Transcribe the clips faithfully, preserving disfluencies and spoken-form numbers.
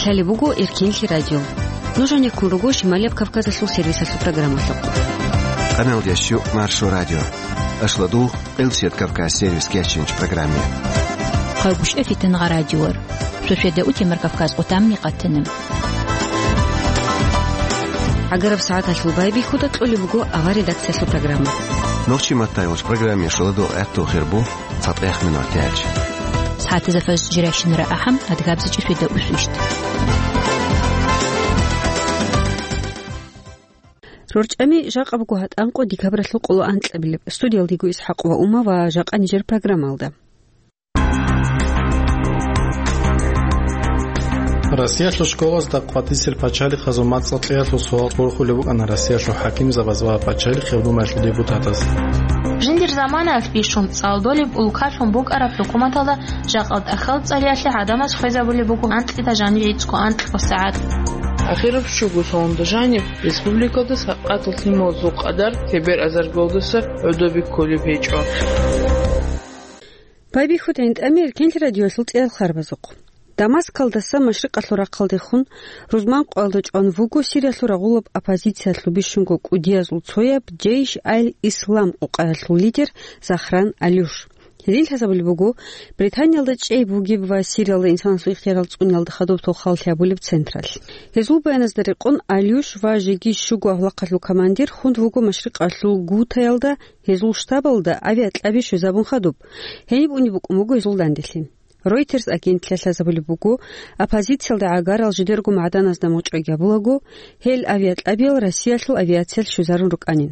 Гьале буго Эркенлъи радио. Нуж гьанеккун руго Шималияб Кавказалъул сервисалъул программалъухъ. Къаналдящу Маршо радио. Ашладу Элсият Кавказ сервис кечинч программе. Хъагушев Фитангъа радиор. Шошеда утемар Кавказ къутамни къатанам. ГӀагараб сагӀаталъул байбихьуда кьолеб буго авар редакциялъул программа. Нохчи маттайолч программе шоладо гӀатту хирбу цатӀех минутиялъ. СагӀатазда фажр жиращинара ахӀам, адгабзичӀи шведа усвищт. РорчӀами жакъа буго гьатӀанкъо декабралъул къоло анкьабилеб. Студиялдего ИсхӀакъ ва Ума ва жакъа нижер программалда. Россиялъул школазда къватӀисел пачалихъазул мацӀал кьеялъул суал борхулеб букӀана Россиялъул хӀакимзабаз ва Пачалихъ гьеб думаялъул депутатаз. Жиндир заманаялъ бищун цӀалдолеб улкалъун букӀараб хӀукуматалда жакъа тӀахьал цӀалиялъе гӀадамаз хвезабулеб буго анкьида жанив гӀицӀго анкьго сагӀат. Ахираб щуго салонда жаниб республикалда сакъатал лъималазул къадар тебер азаргалдаса гӀодобе кколеб гьечӀо. Байбихьуда гӀинтӀами Эркенлъи радиоялъул цӀеял харбазухъ. Дамаскалдаса машрикъалъул рахъалдехун рузман къоялда чӀван вуго Сириялъул рагъулаб оппозициялъул бищунго кӀудиязул цояб Джейш аль-Ислам къукъаялъул лидер Захран Алюш. Гьедин лъазабулеб буго, Британиялда чӀей бугеб ва Сириялда инсанасул ихтиярал цӀуниялда хадуб толхал лъабулеб централъ. Гьезул баяназда рекъон, Алюш ва жеги щуго авлахъалъул командир хун вуго машрикъалъул Гутаялда, гьезул штабалда авиакьаби щвезабун хадуб. Гьениб унеб букӀун буго гьезул данделъи. Reuters агентлъиялъ лъазабулеб буго, оппозициялда гӀагарал жидерго магӀданазда мочӀаги гьабулаго, гьел авиакьабиял Россиялъул авиациялъ щвезарун рукӀанин.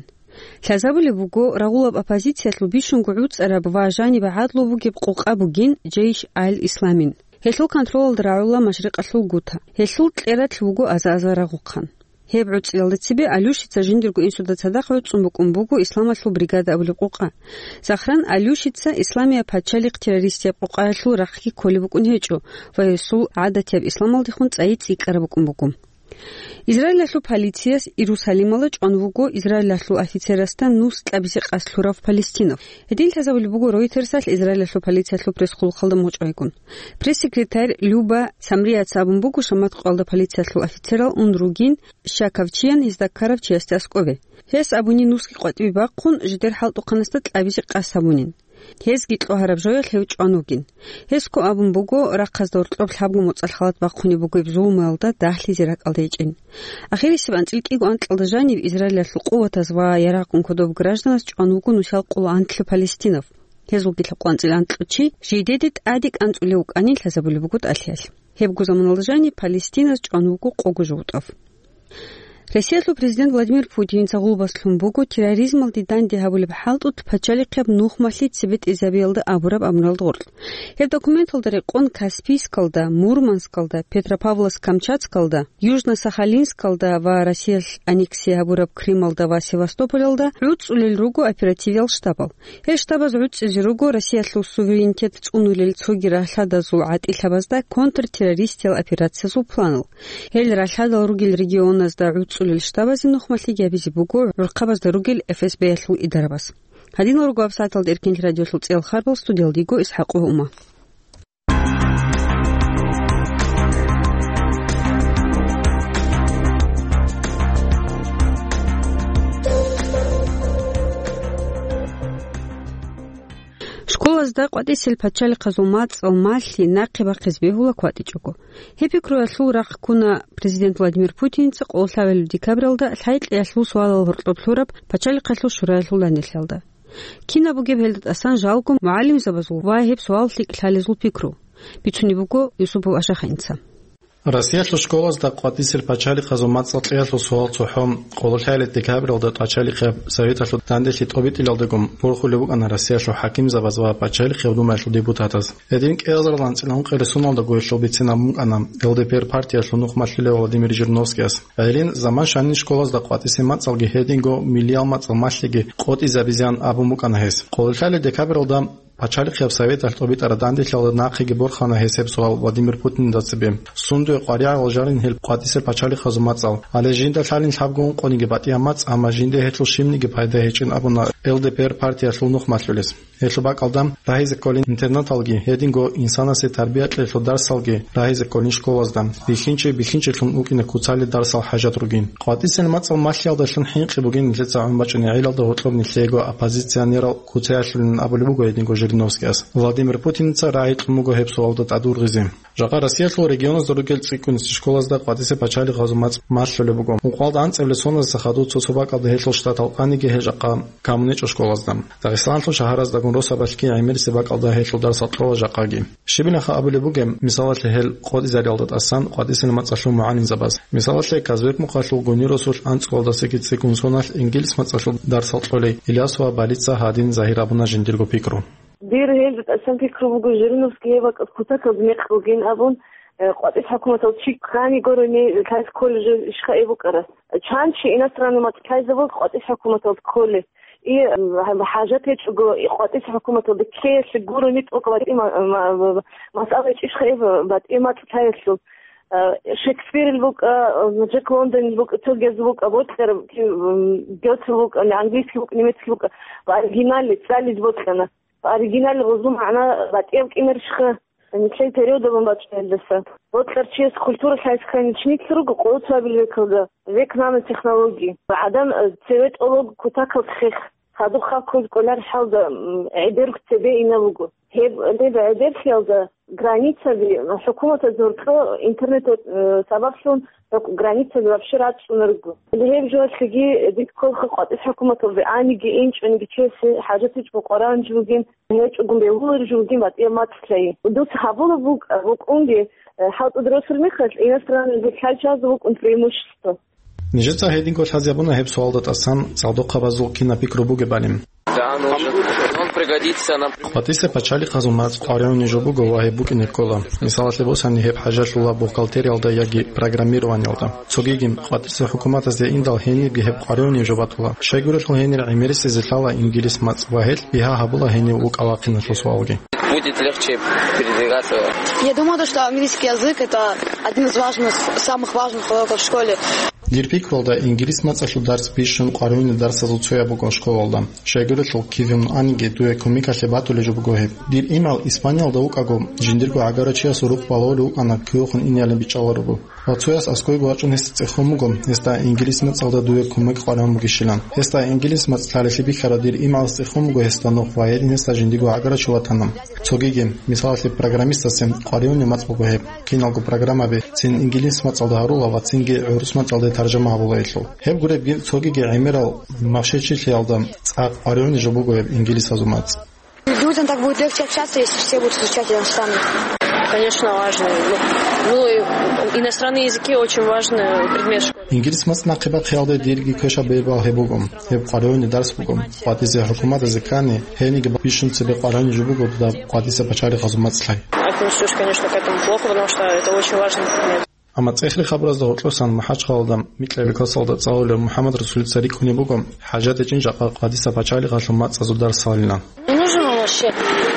Лъазабулеб буго, рагъулаб оппозициялъул бищунго гӀуцӀараб ва жаниб гӀадлу бугеб къукъа бугин Джейш аль-Исламин. Гьелъул контролалда рагӀула машрикъалъул Гута. Гьелъул кьератлъи вуго аза-аза рагъухъан. Гьеб гӀуцӀиялда цебе Алюшица жиндирго инсуда цадахъ гӀуцӀун букӀун буго Исламалъул бригада абулеб къукъа. Захран Алюшица Исламияб пачалихъ террористияб къукъаялъул рахъги кколеб букӀун гьечӀо ва гьесул гӀадатияб исламалдехун цӀайи цӀикӀкӀараб букӀун буго. Израилалъул полицияс Иерусалималда чӀван вуго Израилалъул офицерасда нус кьабизе къасд лъурав палестинав. Гьедин лъазабулеб буго Reuters-алъ Израилалъул полициялъул пресс-хъулухъалда мочӀайгун. Пресс-секретарь Люба Самрияца абун буго, шамат къоялда полициялъул офицерал ун ругин щаковчиян гьезда ккарав чиясде аскӀове. Гьес абуни нусги къватӀибе бахъун, жидер хӀалтӀухъанасда кьабизе къасд гьабунин. Гьезги кьогьараб жоялъ гьев чӀван вугин. Гьес ккун абун буго, рахъазда гьоркьоб лъабго моцӀалъ халат бахъунеб бугеб зулмуялда дагьлъизе ракӀалде гьечӀин. Ахирисеб анцӀил кӀиго анкьалда жанив Израилалъул къуватаз ва ярагъун кодоб гражданаз чӀван вуго нусал къоло анлъи палестинав. Гьезулги лъабкъоялда анкьго чи жидеде тӀаде кӀанцӀулев вукӀанин лъазабулеб буго тӀалъиялъ. Гьебго заманалда жаниб палестиназ чӀван вуго къого жугьутӀав. Россиялъул президент Владимир Путинца гъулбас лъун буго терроризмалде данде гьабулеб хӀалтӀут пачалихъияб нухмалъи цебетӀезабиялда абураб абуналда гъоркь. Гьеб документалда рекъон Каспийскалда, Мурманскалда, Петропавловск-Камчатскалда, Южно-Сахалинскалда ва Россиялъ аннексия гьабураб Крымалда ва Севастополалда гӀуцӀулел руго оперативиял штабал. Гьел штабаз гӀуцӀизе руго Россиялъул суверенитет цӀунулел цоги рагьлъадазул гӀатӀилъабазда контртеррористиял операциязул планал. Гьел рагьлъадал ругел регионазда гӀуцӀулел штабазе нухмалъиги гьабизе буго гӀурхъабазда ругел эф эс б-ялъул идарабаз. Гьадинал руго гьабсагӀаталда Эркенлъи радиоялъул цӀеял харбал, студиялда йиго ИсхӀакъ ва Ума. Школазда къватӀисел пачалихъазул мацӀал малъи нахъе бахъизе бегьула кватӀичӀого. Гьеб пикруялъул рахъ ккуна президент Владимир Путинца къоло лъабабилеб декабралда лъай-кьеялъул суалал гьоркьоб лъураб пачалихъалъул шураялъул данделъиялда. Кинаб бугеб гьелда тӀасан жалго мугӀалимзабазул ва гьеб суал лъикӀ лъалезул пикру? Бицунеб буго Юсупов Ашахинца. Россиялъул школазда къватӀисел пачалихъазул мацӀал кьеялъул суал цохӀо къоло лъабабилеб декабралда пачалихъияб советалъул данделъи тӀобитӀилалдагун борхулеб букӀана Россиялъул хӀакимзабаз ва пачалихъ гьеб думаялъул депутатаз. Гьедин кӀиазарилан цӀинан ункъоялда гьесул гьесул гьесул бицинаб букӀана Л Д П Р партиялъул нухмалъулев Владимир Жириновскияс. Гьедин заман щванин школазда къватӀисел мацӀалги гьединго миллиял мацӀал малъиги къотӀизабизеян абун букӀана гьес. Къоло лъабабилеб декабралда Пачалихъияб советалъ тӀобитӀараб данделъиялда нахъеги борхана гьесеб суал Владимир Путинда цебе. Сундуе къваригӀарал жанин гьел къватӀисел пачалихъазул мацӀал. Гьале жинда лъалин лъабго ункъониги батӀияб мацӀ, амма жинда гьелъул щибниги пайда гьечӀин абуна Л Д П Р партиялъул нух малъулес. Гьелъул бакӀалда рагьизе кколин интернаталги, гьединго инсанасе тарбия кьеялъул дарсалги рагьизе кколин школазда, бихьинчи бихьинчилъун вукӀине куцалел дарсал хӀажат ругин. КъватӀисел мацӀал малъиялдалъун хӀинкъи бугин нилъеца гӀун бачӀунеб гӀелалда гьоркьоб нилъего оппозиционерал куцаялъулин абулеб буго гьединго Жириновскияс. Владимир Путиница рагӀи кьун буго гьеб суалда тӀадвургъизе. Жакъа Россиялъул регионазда ругел цӀикӀкӀунси школазда къватӀисе пачалихъазул мацӀ малъулеб буго. Мукъалда анцӀабилеб соналдаса хадув цо-цо бакӀалда гьелъул штатал къаниги гьел жакъа камунечӀо школазда. Дагъистаналъул шагьараздагун росабалъги гӀемерисеб бакӀалда гьелъул дарсал кьола жакъаги. Щибилаха абулеб бугеб, мисалалъе, гьел къотӀизариялда тӀасан къватӀисел мацӀалъул мугӀалимзабаз. Мисалалъе, Казбек-Мухъалъул Гунир росулъ анцӀкӀкӀалдасаги цӀикӀкӀун соналъ ингилис мацӀалъул дарсал кьолей Илясова Балица гьадин загьир абуна жиндирго пикру. Дир гьелда тӀасан пикру буго, Жириновский гьеб бакӀалъ кутакалда мекъ бугин абун, э, къватӀис хӀукуматал чи ккани гурони лъайс колледжалъ ишха эб букӀарас. Чан чи иностранный мацӀ лъайзе буго къватӀис хӀукуматалда кколеб. И, м, хӀажат гьечӀого, и къватӀис хӀукуматалда ккеялъе гурони тӀокӀ батӀи ма-, ма-, ма-, масъала гьечӀищха эб батӀи мацӀ лъаялъул. Э, Шекспирил букӀа, э, Джек Лондонил букӀа, цогияз букӀа, бокьараб, м, Гёте букӀа, английский букӀа, немецкий букӀа, ва оригиналли цӀализе бокьана. Оригиналли гъозул магӀна батӀияб кӀинарищха, нилъер периодалъун бачӀунелдаса. Бокьарчияс культура лъайскани чиница руго къоло цоабил векалда, век нанотехнологии. ГӀадан, э, цеве тӀолого кутакалда хех, хадуб халкъ кколареб хӀалда, м, гӀедерго цебе ина буго. Гьеб, гьеб гӀедерлъиялда границаби, хӀукуматаз гьоркьо интернет, э, сабаблъун гьоркь-, границаби вообще рачӀунарго. Гьеб жоялъеги дид кколха къватӀис хӀукуматалде аниги, инчӀониги чиясе хӀажат гьечӀого къваригӀунеб жо бугин, гьечӀогун бегьулареб жо бугин батӀияб мацӀ лъай. Дуца гьабулеб букӀ-, букӀунги, э, хӀалтӀуда росулеб мехалъ, иностранный лъай чиясда букӀун преимущество. Нижеца гьединго лъазе гьабуна гьеб суалда тӀасан цӀалдохъабазул кинаб пикру бугебали. Да, нужен. Он пригодится нам. КъватӀисе пачалихъазул мацӀ къваригӀунеб жо буго ва гьеб букӀине ккола. Мисалалъе босани, гьеб хӀажалъула бухгалтериялда яги программированиялда. Цогиги къватӀисе хӀукуматазде индал гьенибги гьеб къваригӀунеб жо батула. Щайгурелъул гьенир гӀемерисезе лъала ингилис мацӀ ва гьелъ бигьа гьабула гьенив вукӀа-вахъиналъул суалги. Будет легче передвигаться. Я думаю, то, что английский язык — это один из важных, самых важных уроков в школе. Дир пикруялда, ингилис мацӀалъул дарс бищун къваригӀунел дарсазул цояб буго школалда. Щайгурелъул киве аниги, дуе кумекалъе батулеб жо буго гьеб. Дир имгӀал Испаниялда вукӀаго, жиндирго гӀагарачиясул рукъ балагьулев вукӀана кивехун инеялин бичӀчӀаларо. Ва цояс аскӀовеги вачӀун гьесда цӀехон буго, гьесда ингилис мацӀалда дуе кумек къваригӀун бугищилан. Гьесда ингилис мацӀ лъалелъи бихьарав дир имгӀалас цӀехон буго гьесда нух ва гьедин гьесда жиндирго гӀагарачи ватана. Цогиги, мисалалъе, программистасе къваригӀунеб мацӀ буго гьеб. Киналго программаби цин ингилис мацӀалда гьарула ва цинги гӀурус мацӀалде таржама гьабула гьелъул. Гьеб гуребги цогиги гӀемерал махщел-чилъиялда цӀакъ къваригӀунеб жо буго гьеб ингилисазул мацӀ. Людям так будет легче общаться, если все будут изучать иностранный. Конечно, важно. Ну, ну, и иностранные языки очень важный предмет в школе. Ингилис мацӀ нахъе бахъиялде дирги квешаб бегьбал гьеб буго. Гьеб къваригӀунеб дарс буго. КъватӀисе хӀукуматазе ккани, гьениги бищун цебе къваригӀунеб жо буго дуда къватӀисе пачалихъазул мацӀ лъай. Отнесусь, конечно, к этому плохо, потому что это очень важный предмет. Амма цӀехе хабаразда гьоркьосан МахӀачхъалалда микьабилеб классалда цӀалулев МухӀаммадрасулица рикӀкӀунеб буго, хӀажат гьечӀин жакъа къватӀиса пачалихъалъул мацӀазул дарс лъалилан. Не нужен он вообще.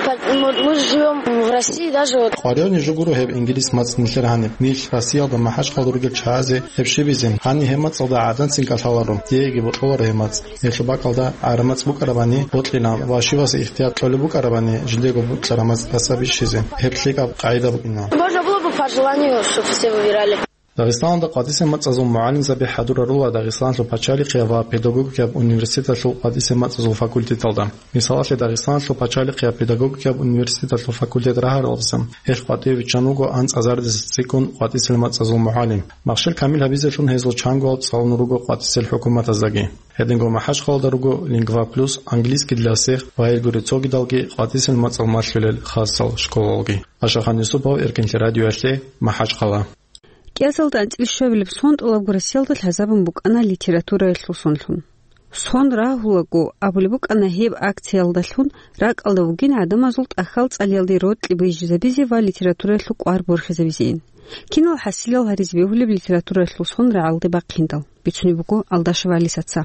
Как, мы, мы живём в России, даже вот. КъваригӀунеб жо гуро гьеб ингилис мацӀ нилъер гьаниб. Нилъ Россиялда МахӀачхъалда ругел чагӀазе гьеб щибизе, гьаниб гьеб мацӀалда гӀадамцин кӀалъаларо, диеги бокьуларо гьеб мацӀ. Гьелъул бакӀалда гӀараб мацӀ букӀарабани бокьилан ва щивасе ихтияр кьолеб букӀарабани жидего бокьараб мацӀ тӀаса бищизе, гьеб лъикӀаб къагӀида букӀина. Можно было бы по желанию, чтоб все выбирали. Дагъистаналда къватӀисе мацӀазул мугӀалимзаби хӀадурарула Дагъистаналъул пачалихъияб ва педагогикаяб университеталъул къватӀисе мацӀазул факультеталда. Мисалалъе, Дагъистаналъул пачалихъияб педагогикаяб университеталъул факультет рагьаралдаса гьелъ къватӀиве виччан вуго анцӀазардаса цӀикӀкӀун къватӀисел мацӀазул мугӀалим. Махщел камил гьабизелъун гьезул чангоял цӀалун руго къватӀисел хӀукуматаздаги. Гьединго МахӀачхъалалда руго «Лингва Плюс», «Английский для всех» ва гьелгури цогидалги къватӀисел мацӀал малъулел хасал школалги. Ашахан Юсупов, Эркинлъи радиоялъе, МахӀачхъала. КӀиазалда анцӀила щуабилеб сон тӀолабго Россиялда лъазабун букӀана литератураялъул сонлъун. Сон рагьулаго абулеб букӀана гьеб акциялдалъун ракӀалда вугин гӀадамазул тӀахьал цӀалиялде рокьи бижизабизе ва литератураялъул кӀвар борхизабизейин. Кинал хӀасилал гьаризе бегьулеб литератураялъул сон рагӀалде бахъиндал, бицунеб буго Алдашева Алисаца.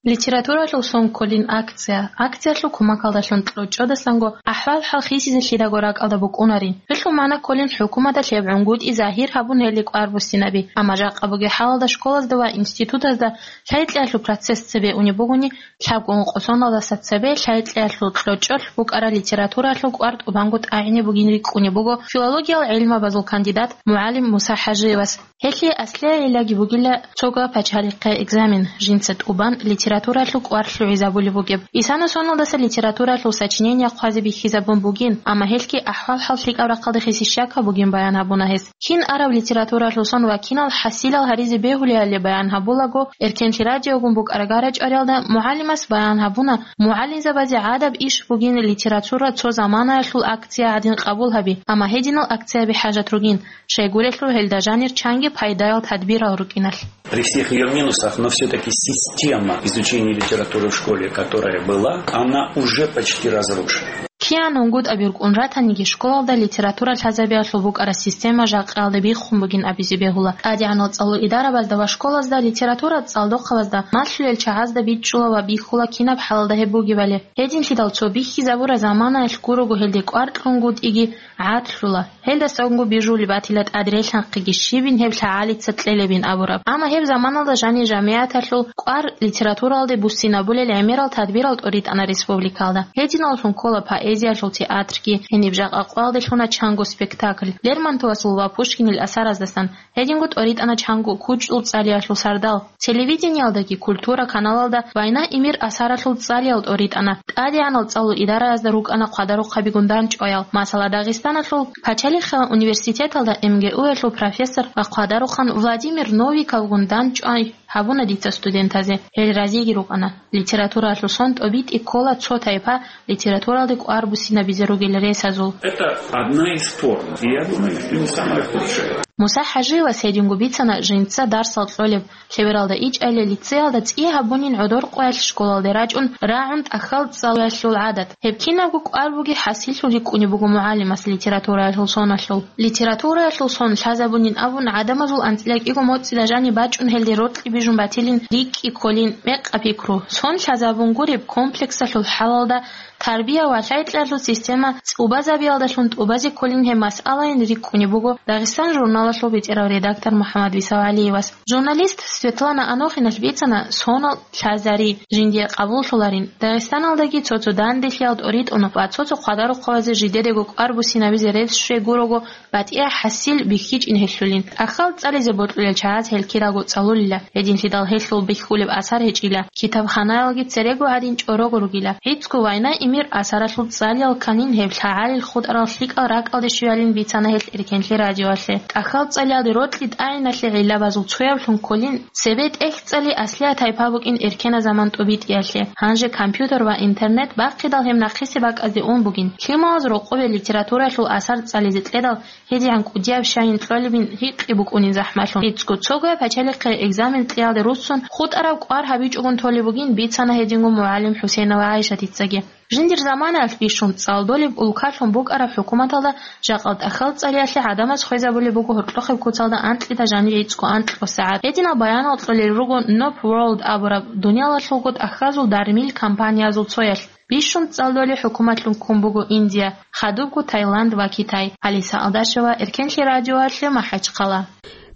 Литературалъул сон кколин акция. Акциялъул кумакалдалъун кьучӀодасанго ахӀвал-хӀал хисизе лъидаго ракӀалда букӀунарин. Гьелъул магӀна кколин хӀукуматалъ гьеб гӀунгутӀи загьир гьабун гьелде кӀвар буссинаби. Амма жакъа бугеб хӀалалда школазда ва институтазда лъай-кьеялъул процесс цебе унеб бугони, лъабго ункъо соналдаса цебе лъай-кьеялъул кьучӀолъ букӀараб литературалъул кӀвар тӀубанго тӀагӀине бугин рикӀкӀунеб буго филологиял гӀилмабазул кандидат мугӀалим Муса ХӀажиевас. Гьелъие аслияб гӀиллаги бугила цого пачалихъе экзамен, жинца тӀубан литературалъул кӀвар лъугӀизабулеб бугеб. Исана соналдаса литературалъул сочинение хъвазе бихьизабун бугин, амма гьелъги ахӀвал-хӀал лъикӀаб рахъалде хисизе щакаб бугин баян гьабуна гьес. Кин араб литературалъул сон ва кинал хӀасилал гьаризе бегьулебали баян гьабулаго, Эркенлъи радиогун букӀараб гара-чӀвариялда мугӀалимас баян гьабуна, мугӀалимзабазе гӀадаб иш бугин литература цо заманаялъул акция гӀадин къабул гьаби, амма гьединал акцияби хӀажат ругин, щайгурелъул гьелда жанир чанги пайдаял тадбирал рукӀиналъ. При всех её минусах, но всё-таки система изучения литературы в школе, которая была, она уже почти разрушена. Киян унгутӀаби рукӀун ратаниги, школалда литература лъазабиялъул букӀараб система жакъаялда биххун бугин абизе бегьула. ТӀадегӀанал цӀалул идарабазда ва школазда литература цӀалдохъабазда малъулел чагӀазда бичӀчӀула ва бихьула кинаб хӀалалда гьеб бугебали. Гьединлъидал цо бихьизабураб заманаялъ гурого гьелде кӀвар кьунгутӀиги гӀадлъула. Гьелдасанго бижулеб батила тӀадрелъанхъиги щибин гьеб лъагӀалица кьелебин абураб. Амма гьеб заманалда жанир жамигӀаталъул кӀвар литературалде буссинабулел гӀемерал тадбирал тӀоритӀана республикалда. Гьединаллъун ккола поэзиялъул театрги, гьениб жакъа къоялде лъуна чанго спектакль. Лермонтовасул ва Пушкинил асараздасан, гьединго тӀоритӀана чанго кучӀдул цӀалиялъул сардал. Телевидениялдаги культура каналалда «Война и мир» асаралъул цӀалиял тӀоритӀана. ТӀадегӀанал цӀалул идараязда рукӀана хъвадарухъабигун дандчӀваял. Масала, Дагъистаналъул пачалихъалъул университеталда МГУ-ялъул профессор ва хъвадарухъан Владимир Новиковгун дандчӀвай гьабуна дица студентазе. Гьел разиги рукӀана. Литературалъул сон тӀобитӀи ккола цо тайпа литературалде кӀвар буссинабизе ругел ресазул. Это одна из форм. И я думаю, что не самая худшая. Муса ХӀажиевас гьединго бицана жинца дарсал кьолеб, лъебералда ичӀайиле лицеялда цӀи гьабунин гӀодор къоялъ школалде рачӀун рагӀун тӀахьал цӀалулелъул гӀадат. Гьеб кинабго кӀвар бугеб хӀасиллъун рикӀкӀунеб буго мугӀалимас литератураялъул соналъул. Литератураялъул сон лъазабунин абун, гӀадамазул анцӀила кӀиго моцӀила жаниб бачӀун гьелде рокьи бижун батилин рикӀкӀи кколин мекъаб пикру. Сон лъазабун гуреб комплексалъул хӀалалда тарбия ва лъай-кьеялъул система цӀубазабиялдалъун тӀубазе кколин гьеб масъалайин рикӀкӀунеб буго «Дагъистан» журналалъул бетӀерав редактор МухӀаммад БисавгӀалиевас. Журналист Светлана Анохиналъ бицана сонал лъазари жиндие къабуллъуларин, Дагъистаналдаги цо-цо данделъиялда тӀоритӀун ва цо-цо хъвадарухъабазе жидедаго кӀвар буссинабизе рес щвей гурого батӀияб хӀасил бихьичӀин гьелъулин. ТӀахьал цӀализе бокьулел чагӀаз гьел кираго цӀалулила, гьединлъидал гьелъул бихьулеб асар гьечӀила. Китабханаялги церего гьадин чӀорого ругила. ГӀицӀго «Война и мир» асаралъул цӀалиял канин гьеб лъагӀалил хутӀарал лъикӀал ракӀалде щвеялин бицана гьел Эркенлъи радиоялъе. ТӀахьал цӀалиялде рокьи тӀагӀиналъе гӀиллабазул цояблъун кколин, цебе тӀехь цӀали аслияб тайпа букӀин эркенаб заман тӀубитӀиялъе. Гьанже компьютер ва интернет бахъидал гьеб нахъисеб бакӀазде ун бугин. Лъималаз рокъобе литературалъул асар цӀализе кьедал, гьедигӀан кӀудияб щайин кьолебин гьикъи букӀунин захӀмалъун. ГӀицӀго цогояб пачалихъе экзамен кьеялде руссун хутӀараб кӀвар гьабичӀогун толеб бугин бицана гьединго мугӀалим ХӀусейнова ГӀайшатицаги. Жиндир заманаялъ бищун цӀалдолеб улкалъун букӀараб хӀукуматалда жакъа тӀахьал цӀалиялъе гӀадамаз хвезабулеб буго гьоркьохъеб куцалда анкьида жаниб гӀицӀго анкьго сагӀат. Гьединал баянал кьолел руго Nob World абураб дуниялалъулго тӀахьазул дармил компаниязул цоялъ. Бищун цӀалдолеб хӀукуматлъун ккун буго Индия, хадубго Таиланд ва Китай. Алиса Алдашева, Эркенлъи радиоялъе, МахӀачхъала.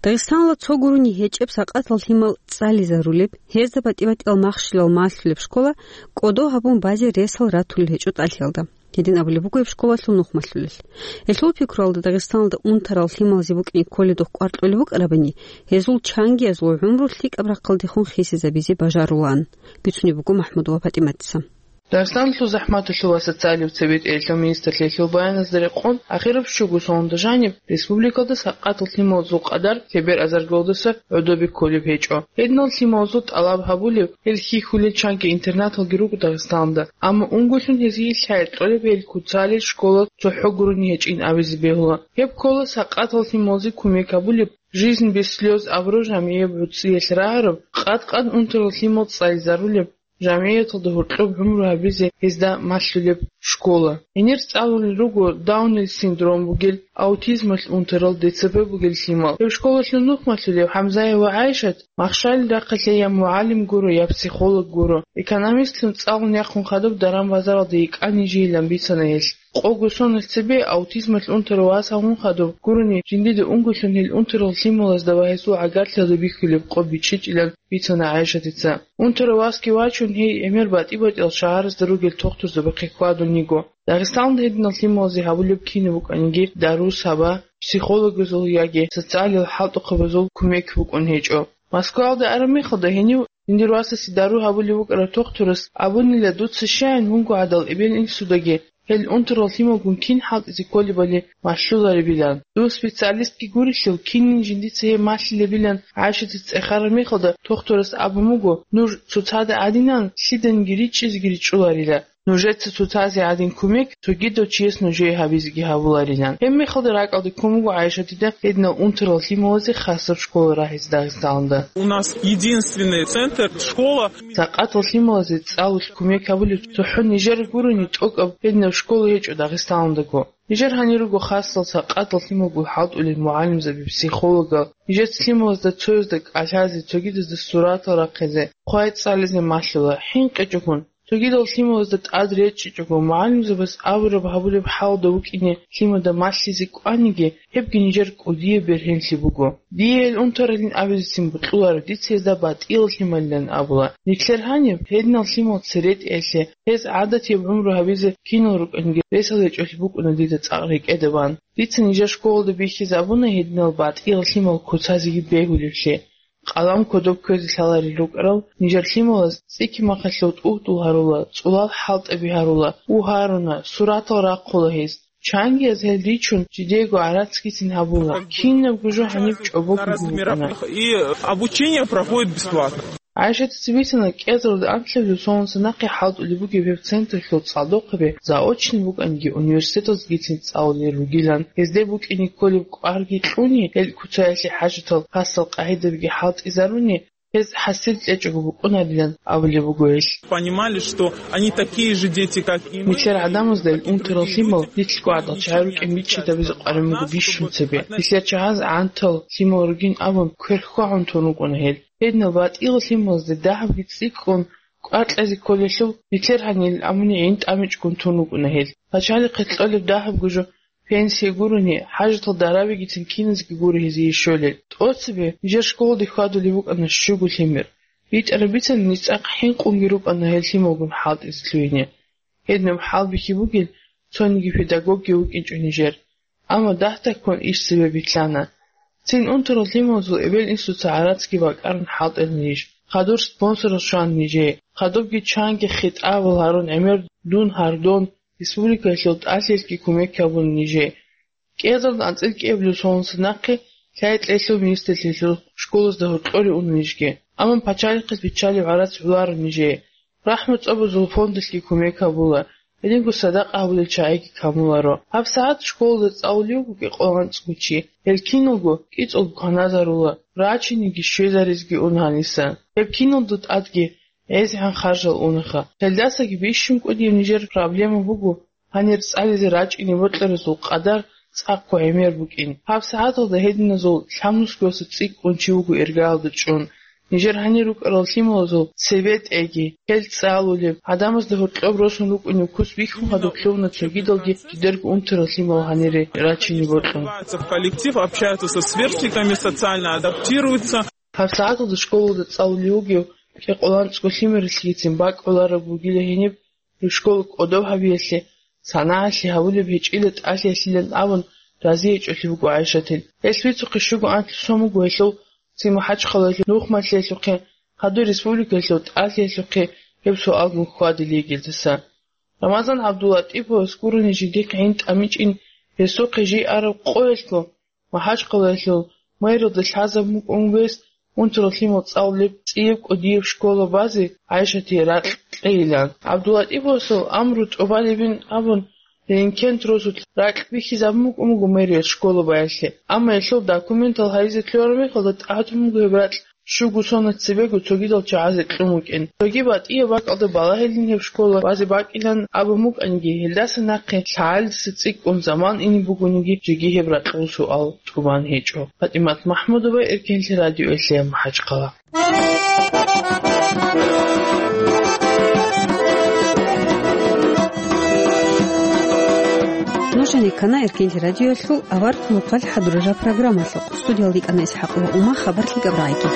Дагъистаналда цо гурони гьечӀеб сакъатал лъимал цӀализарулеб, гьезда батӀи-батӀиял махщелал малъулеб школа кӀодо гьабун базе ресал ратулел гьечӀо тӀалъиялда. Гьедин абулеб буго гьеб школалъул нух малъулел. Гьелъул пикруялда Дагъистаналда унтарал лъималазе букӀине кколедухъ кӀвар кьолеб букӀарабани, гьезул чангиязул гӀумру лъикӀаб рахъалдехун хисизабизе бажарулаан, бицунеб буго МахӀмудова ПатӀиматица. Дагъистаналъул захӀматалъул ва социалияб цебетӀералъул министрлъиялъул баяназда рекъон, ахираб щуго соналда жаниб республикалда сакъатал лъималазул къадар лъебер азаргалдаса гӀодобе кколеб гьечӀо. Гьединал лъималазул тӀалаб гьабулеб, гьел хьихьулел чанги интернаталги руго Дагъистаналда, амма унголъун гьезие лъай кьолеб гьел куцалел школа цохӀо гурони гьечӀин абизе бегьула. Гьеб ккола сакъатал лъималазе кумек гьабулеб, «Жизнь без слёз» абураб жамгӀияб гӀуцӀиялъ рагӀараб, къад-къад унтарал лъимал цӀализарулеб, жамгӀияталда гьоркьоб гӀумру гьабизе гьезда малъулеб школа. Гьенир цӀалулел руго Даунил синдром бугел, аутизмалъ унтарал, Д Ц П бугел лъимал. Гьеб школалъул нух малъулев ХӀамзаева ГӀайшат махщалил рахъалъе я мугӀалим гуро, я психолог гуро. Экономистлъун цӀалун яхъун хадуб даран-базаралда йикӀанин жийилан бицана гьелъ. Къого соналъ цебе аутизмалъ унтарав вас гьавун хадуб гурони, жиндида унголъун гьел унтарал лъималазда ва гьесул гӀагарлъиялда бихьулеб къо бичӀчӀичӀилан бицана ГӀайшатица. Унтарав васги вачун, гьей гӀемер батӀи-батӀиял шагьарасда ругел тухтурзабахъе хьвадун йиго. Дагъистаналда гьединал лъималазе гьабулеб кинаб букӀаниги, дару саба, психологазул яги социалил хӀалтӀухъабазул кумек букӀун гьечӀо. Москваялда араб мехалда гьенив жиндир васасе дару гьабулев вукӀарав тухтурас абунила: «Дуца щаян, вунго гӀадал эбел-инсудаги гьел унтарал лъималгун кин хӀалтӀизе кколебали малъуларебилан. Дов специалистги гурелъул, кинин жиндица гьеб малъилебилан», ГӀайшатица цӀехараб мехалда тухтурас абун буго: «Нуж цоцазда гӀадинан лъиданиги ричӀчӀизеги ричӀчӀуларила. Нужеца цоцазе гӀадин кумек цогидав чияс нужее гьабизеги гьабуларилан». Гьеб мехалда ракӀалде ккун буго ГӀайшатида гьединал унтарал лъималазе хасаб школа рагьизе Дагъистаналда. У нас единственный центр, школа. Сакъатал лъималазе цӀалулъ кумек гьабулеб цохӀо нижер гурони тӀокӀаб гьединаб школа гьечӀо Дагъистаналдаго. Нижер гьанир руго хасал сакъатал лъималгун хӀалтӀулел мугӀалимзаби, психологал. Нижеца лъималазда цоязда кӀалъазе, цогидазда суратал рахъизе, хъвай цӀализе малъула, хӀинкъичӀогун. Цогидал лъималазда тӀад речӀчӀичӀого, мугӀалимзабаз абураб гьабулеб хӀалда вукӀине лъимада малъизе кӀваниги, гьебги нижер кӀудияб бергьенлъи буго. Дие гьел унтаралин абизецин бокьуларо, дица гьезда батӀиял лъималилан абула. Нилъер гьаниб гьединал лъимал церетӀиялъе, гьез гӀадатияб гӀумру гьабизе кинал рукӀаниги ресал гьечӀолъи букӀуна дида цӀакъ рекӀеда бан. Дица нижер школалда бихьизабуна гьединал батӀиял лъимал куцазеги бегьулевлъи. Къалам кодоб кквезе лъаларел рукӀарал нижер лъималаз цӀикӀкӀи махалъул тӀугьдул гьарула, цӀулал хӀалтӀаби гьарула, у гьаруна, суратал рахъула гьез. Чангияз гьел ричун, жидеего гӀарацгицин гьабула. Кинабго жо гьаниб чӀобого гьукъана. И обучение проходит бесплатно. ГӀайшатица бицана, кӀиазаралда анлъабилеб соналъ нахъе хӀалтӀулеб бугеб гьеб централъул цӀалдохъаби заочный букӀаниги, университеталдгицин цӀалулел ругилан, гьезде букӀине кколеб кӀварги кьуни, гьел куцаялъе хӀажатал хасал къагӀидабиги хӀалтӀизаруни, гьез хӀасил кьечӀого букӀунарилан абулеб буго гьелъ. Понимали, что они такие же дети, как и мы. Нилъер гӀадамазда гьел унтарал лъимал нилъго гӀадал чагӀи рукӀин бичӀчӀизабизе къваригӀун буго бищун цебе. Нилъер чагӀаз гӀантал лъимал ругин абун, кверхьвагӀун тун рукӀуна гьел. Гьединал батӀиял лъималазда дагьабги цӀикӀкӀун кӀвар кьезе кколелъул, нилъер гьанир амуни гӀин тӀамичӀгун тун рукӀуна гьел. Пачалихъе кьолеб дагьабго жо пенсия гурони, хӀажатал дарабигицин киназеги гуро гьезие щолел. ТӀоцебе нижер школалде хьвадулеб букӀана щуго лъимер. БитӀараб бицана, ниж цӀакъ хӀинкъунги рукӀана гьел лъималгун хӀалтӀизе лъугьине. Гьединаб хӀалбихьи бугел цониги педагогги вукӀинчӀо нижер. Амма дагь-дагьккун иш цебе битӀана. Цин унтарал лъималазул эбел-инсуца гӀарацги бакӀарун хӀалтӀана ниж. Хадур спонсорал щвана нижее. Хадубги чанги хитӀабал гьарун гӀемер дун гьардон, республикаялъул тӀалъиялъги кумек гьабуна нижее. КӀиазаралда анцӀила кӀиабилеб соналъ нахъе лъай-лъайлъул министрлъиялъул школазда гьоркьоре уна нижги. Амма пачалихъас биччалеб гӀарац гӀоларо нижее. РахӀму цӀобазул фондалъги кумек гьабула, гьединго садакъа гьабулел чагӀиги камуларо. ГьабсагӀат школалда цӀалулев вуго кӀикъоялда анцӀго чи. Гьел киналго кӀицӀулго кваназарула, рачиниги щвезаризеги уна гьаниса. Гьеб киналго тӀадги гӀезегӀан харжал унаха. Гьелдасаги бищун кӀудияб нижер проблема буго гьанир цӀализе рачӀине бокьаразул къадар цӀакъго гӀемер букӀин. ГьабсагӀаталда гьединазул лъабнусгоялъул цӀикӀкӀун чи вуго иргаялда чӀун. Нижер гьанир рукӀарал лъималазул цебетӀеги, гьел цӀалулеб, гӀадамазда гьоркьоб росун рукӀунеб куц бихьун гьадур лъугьуна цогидалги жидерго унтарал лъимал гьанире рачине бокьун. В коллектив, общаются со сверстниками, социально адаптируются. ГьабсагӀаталда школалда цӀалулев вугев кӀикъоялда анцӀго лъимералъгицин бакӀ гӀолареб бугила гьениб, школа кӀодоб гьабиялъе, санагӀалъи гьабулеб гьечӀила тӀалъиялъилан абун, разиячӀолъи буго ГӀайшатил. Гьелъ бицухъе щуго анлъго сон буго гьелъул цин МахӀачхъалаялъул нух малъиялъухъе, хадур республикаялъул тӀалъиялъухъе гьеб суалгун хьвадилей гьелдаса. Рамазан ГӀабдуллатӀиповас гурони жиндихъ гӀин тӀамичӀин, гьесухъе жий араб къоялъго МахӀачхъалаялъул мэрилда лъазабун букӀун вес унтарал лъимал цӀалулеб цӀияб кӀудияб школа базе ГӀайшатие ракь кьейилан. ГӀабдуллатӀиповасул амру тӀубалебин абун, Ренкент росулъ ракь бихьизабун букӀун буго мэрияс школа баялъе. Амма гьелъул документал гьаризе лъугьараб мехалда тӀадун буго гьеб ракь щуго сона цебего цогидал чагӀазе кьун вукӀин. Цоги батӀияб бакӀалда балагьилин гьеб школа вазе бакӀилан абун букӀаниги, гьелдаса нахъе лъагӀалдаса цӀикӀкӀун заман ине бугониги, жеги гьеб ракьул суал тӀубан гьечӀо. ПатӀимат МахӀмудова, Эркенлъи радиоялъе, МахӀачхъала. Нуж гьанир ккана Эркенлъи радиоялъул аварагасул хӀакъалъулъ хӀадурараб программалъухъ. Студиялда йикӀана ИсхӀакъ ва Ума, хабар лъикӀаб рагӀиги.